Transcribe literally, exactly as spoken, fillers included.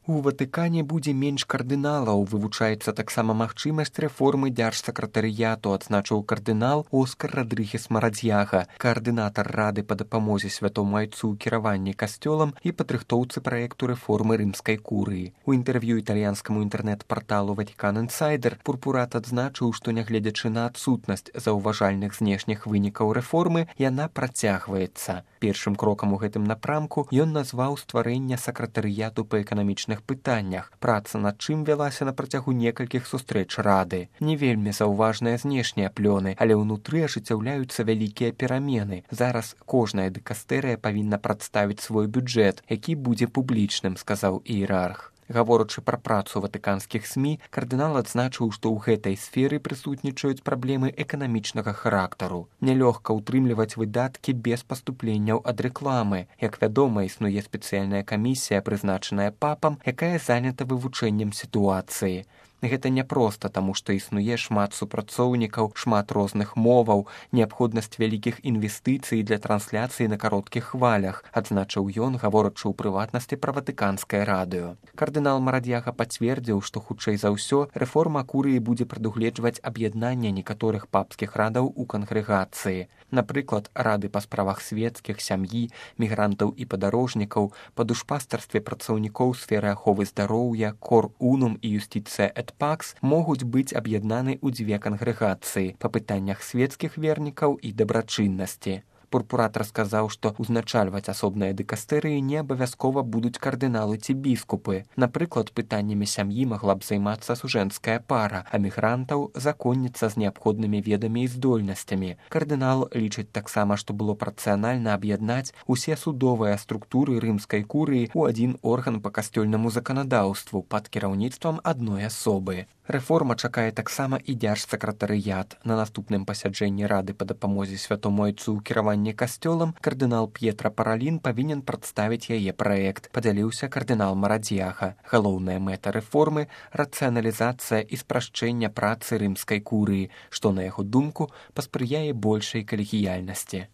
У Ватыкане будзе менш кардыналаў, вывучаецца таксама магчымасць рэформы дзяржсакратарыяту, адзначыў кардынал Оскар Радрыгес Марадзьяга, каардынатар рады па дапамозе святому айцу ў кіраванні касцёлам і падрыхтоўцы праекту рэформы рымскай курыі. У інтэрв'ю італьянскаму інтэрнэт-парталу Vatican Insider Пурпурат адзначыў, што нягледзячы на адсутнасць заўважальных знешніх вынікаў рэформы, яна працягваецца. Першым крокам у гэтым напрамку ён назваў стварэнне сакратарыяту па эканамічных пытаннях, праца над чым вялася на працягу некалькіх сустрэч рады. Не вельмі заўважныя знешнія плёны, але ўнутры ажыццяўляюцца вялікія перамены. Зараз кожная дыкастэрыя павінна прадставіць свой бюджэт, які будзе публічным, сказаў іерарх. Гаворачы пра працу ватыканскіх СМІ, кардынал адзначыў, што ў гэтай сферы прысутнічаюць праблемы эканамічнага характару. Нялёгка ўтрымліваць выдаткі без паступленняў ад рэкламы. Як вядома, існуе спецыяльная камісія, прызначаная папам, якая занята вывучэннем сітуацыі. Гэта няпроста, таму што існуе шмат супрацоўнікаў, шмат розных моваў, неабходнасць вялікіх інвестыцый для трансляцыі на кароткіх хвалях, адзначыў ён, гаворачы ў прыватнасці пра ватыканскае радыё. Кардынал Марадзьяга пацвердзіў, што хутчэй за ўсё рэформа курыі будзе прадугледжваць аб'яднанне некаторых папскіх радаў у кангрэгацыі. Напрыклад, рады па справах свецкіх, сям'і, мігрантаў і падарожнікаў, па душпастарстве працаўнікоў сферы аховы здароўя, кор унум і юстыцыя эт пакс могуць быць аб'яднаны ў дзве кангрэгацыі па пытаннях свецкіх вернікаў і дабрачыннасці. Пурпурат расказаў, што ўзначальваць асобныя дыкастэрыі не абавязкова будуць кардыналы ці біскупы. Напрыклад, пытаннямі сям'і магла б займацца сужэнская пара, а мігрантаў законніца з неабходнымі ведамі і здольнасцямі. Кардынал лічыць таксама, што было працыянальна аб'яднаць усе судовыя структуры рымскай курыі ў адзін орган па касцёльнаму заканадаўству пад кіраўніцтвам адной асобы. Рэформа чакае таксама і дзяржсакратарыят. На наступным пасяджэнні рады па дапамозе святому айцу ў кіраванні касцёлам кардынал П'етра Паралін павінен прадставіць яе праект, падзяліўся кардынал Марадзьяга. Галоўная мэта рэформы – рацыяналізацыя і спрашчэнне працы рымскай курыі, што, на яго думку, паспрыяе большай калегіяльнасці.